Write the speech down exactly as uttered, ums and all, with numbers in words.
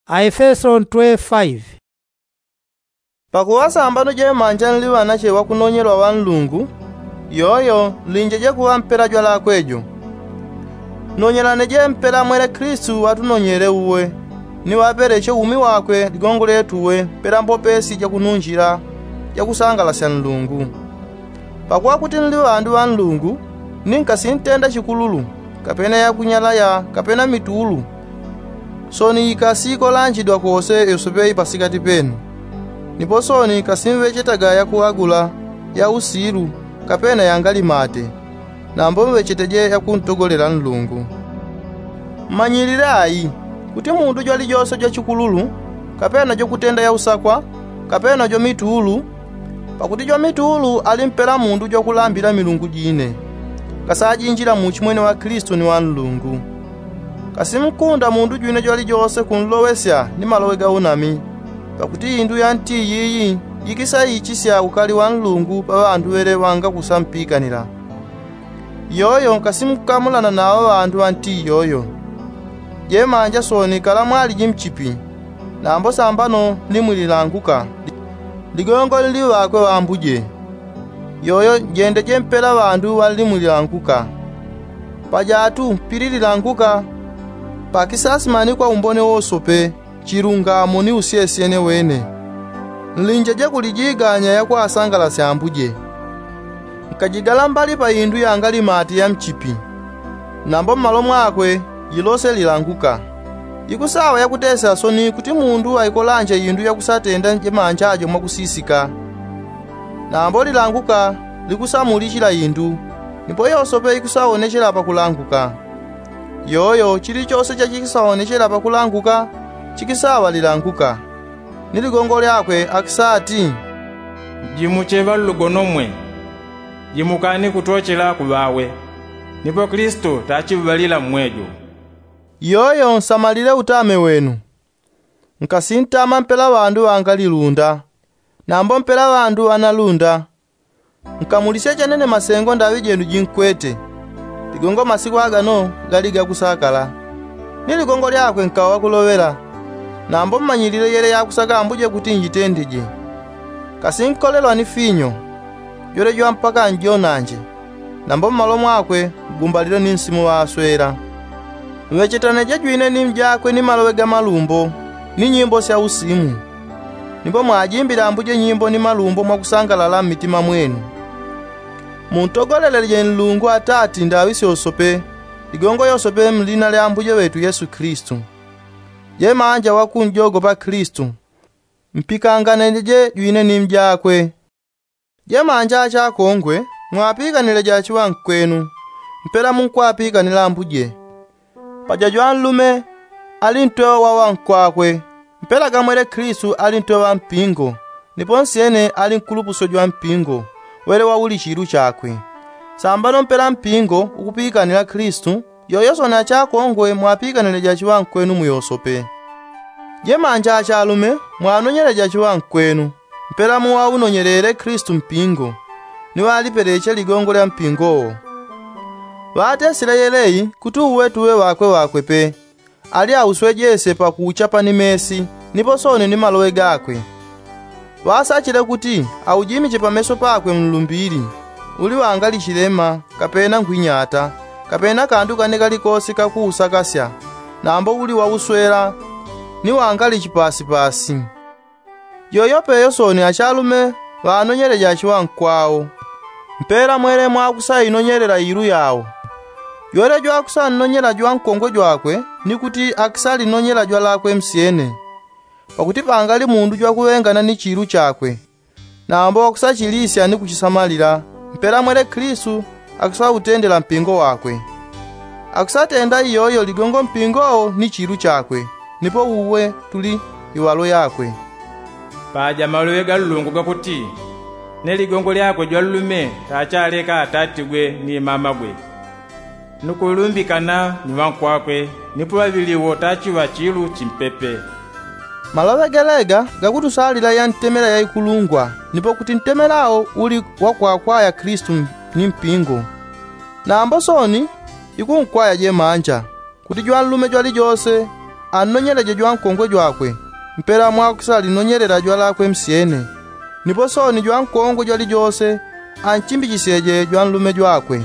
Aefeso ntwe faive. Pakuŵa sambano jemanja nli ŵanache ŵakunonyelwa ŵa nlungu, yoyo nlinjeje kuŵa mpela jwalakwe jo. Nonyelaneje mpela mwele klistu ŵatunonyele uwe, ni ŵapeleche umi wakwe ligongo lyetu uwe mpela mbopesi jakununjila jakusangalasya nlungu. Pakuŵa kuti nli ŵandu ŵa nlungu, ni nkasintenda chikululu, kapena yakunyalaya kapena mitulu, soni ikasikolanjidwa kose yosepe ipasikati penu. Nipo soni kasimŵechetaga yakuŵagula ya usilu kapena yangalimate, nambo mŵecheteje yakuntogolela nlungu. Mmanyilile ai, kuti mundu jwalijose jwachikululu, kapena jwakutenda yausakwa, kapena jwamitulu, pakuti jwamitulu ali mpela mundu jwakulambila milungu jine, kasajinjila muuchimwene wa klistu ni wa nlungu. Kasinkunda mundu jwine jwalijose kunlowesya ni maloŵe ga unami, pakuti indu ya nti yiyi yikisayichisya ukali wa nlungu pa ŵandu ŵele ŵangakusampikanila. Yoyo nkasimukamulana nawo ŵandu ŵa nti yoyo. Jemanja soni kala mwaliji mchipi, nambo sambano nli mwilanguka, ligongo nli ŵakwe ŵambuje. Yoyo njendeje mpela ŵandu ŵanli mwilanguka. Pajatu mpili lilanguka, pakisasimanikwa umbone wosope, chilungamo ni usyesyene wene. Nlinjeje kulijiganya yakwasangalasya ambuje. Nkajigala mbali pa indu yangalimati ya mchipi, nambo mmalo mwakwe jilose lilanguka. Ikusaŵa yakutesya soni kuti mundu aikolanje indu yakusatenda jemanja jo mwakusisika. Nambo lilanguka likusamulichila indu, nipo yosope ikusaonechela pakulanguka. Yoyo chilichose chachikisaonechela pakulanguka chikisaŵa lilanguka. Ni ligongo lyakwe akisati, jimuche ŵallugono mwe, jimukani kutochela kuŵawe, nipo klistu tachiŵalila mmwejo. Yoyo nsamalile utame wenu. Nkasintama mpela ŵandu ŵangalilunda, nambo mpela ŵandu ŵanalunda. Nkamulisye chanene masengo ndaŵi jenu jinkwete, ligongo masiku agano gali gakusakala. Ni ligongo lyakwe nkaŵa wakuloŵela, nambo mmanyilile yele yakusaka ambuje kuti njitendeje. Kasinkolelwa ni finyo, jwelejwa mpaka njonanje, nambo mmalo mwakwe mgumbalile ni nsimu ŵaswela. Mŵechetaneje jwine ni mjakwe ni maloŵe ga malumbo, ni nyimbo sya usimu. Nipo mwajimbile ambuje nyimbo ni malumbo mwakusangalala mmitima mwenu. Muntogoleleje nlungu atati ndaŵi syosope, ligongo yosope mlina lya ambuje ŵetu yesu klistu. Jemanja wakunjogopa klistu, mpikanganeje jwine ni mjakwe. Jemanja achakongwe, mwapikanileje achiŵankwenu, mpela munkwapikanila ambuje. Paja jwanlume ali ntweŵa wa ŵankwakwe, mpela gamwele klistu ali ntweŵa mpingo, nipo nsyene ali nkulupusyo jwa mpingo, wele wauli chilu chakwe. Sambano mpela mpingo ukupikanila klistu, yoyo soni achakongwe mwapikanileje achiŵankwenu muyosope. Jemanja achalume, mwanonyeleje achiŵankwenu, mpela muŵaunonyelele klistu mpingo, ni ŵalipeleche ligongo lya mpingowo. Ŵatesile yeleyi kuti uwe tuŵe ŵakwe ŵakwe pe, ali auswejese pakuuchapa ni mesi, nipo soni ni maloŵe gakwe. Ŵasachile kuti aujimiche pameso pakwe mlumbili, uli ŵangali chilema, kapena nkhwinyata, kapena kandu kane kalikosi kakuusakasya, nambo uli wauswela, ni wangali chipasipasi. Yoyo peyo soni achalume ŵanonyeleje achiŵankwao, mpela mwele mwakusainonyelela ilu yao. Jwele jwakusannonyela jwankongwe jwakwe ni kuti akisalinonyela jwalakwe msyene. Pakuti pangali mundu jwakuŵengana ni chilu chakwe, nambo wakusachilisya ni kuchisamalila, mpela mwele klistu akusautendela mpingo wakwe. Akusatenda iyoyo ligongo mpingowo ni chilu chakwe, nipo uwe tuli iŵalo yakwe. Paja maloŵe ga nlungu gakuti, ne ligongo lyakwe jwanlume tachaleka atatigwe ni mamagwe, ni kulumbikana ni ŵankwakwe, nipo ŵaŵili wo tachiŵa chilu chimpepe. Maloŵe gelega gakutusalila ya ntemela yaikulungwa, nipo kuti ntemelawo uli wakwakwaya klistu ni mpingo. Nambo soni ikunkwaya jemanja, kuti jwanlume jwalijose annonyeleje jwankongwe jwakwe mpela mwakusala linonyelela jwalakwe msyene. Nipo sooni jwankongwe jwalijose anchimbichisyeje jwanlume jwakwe.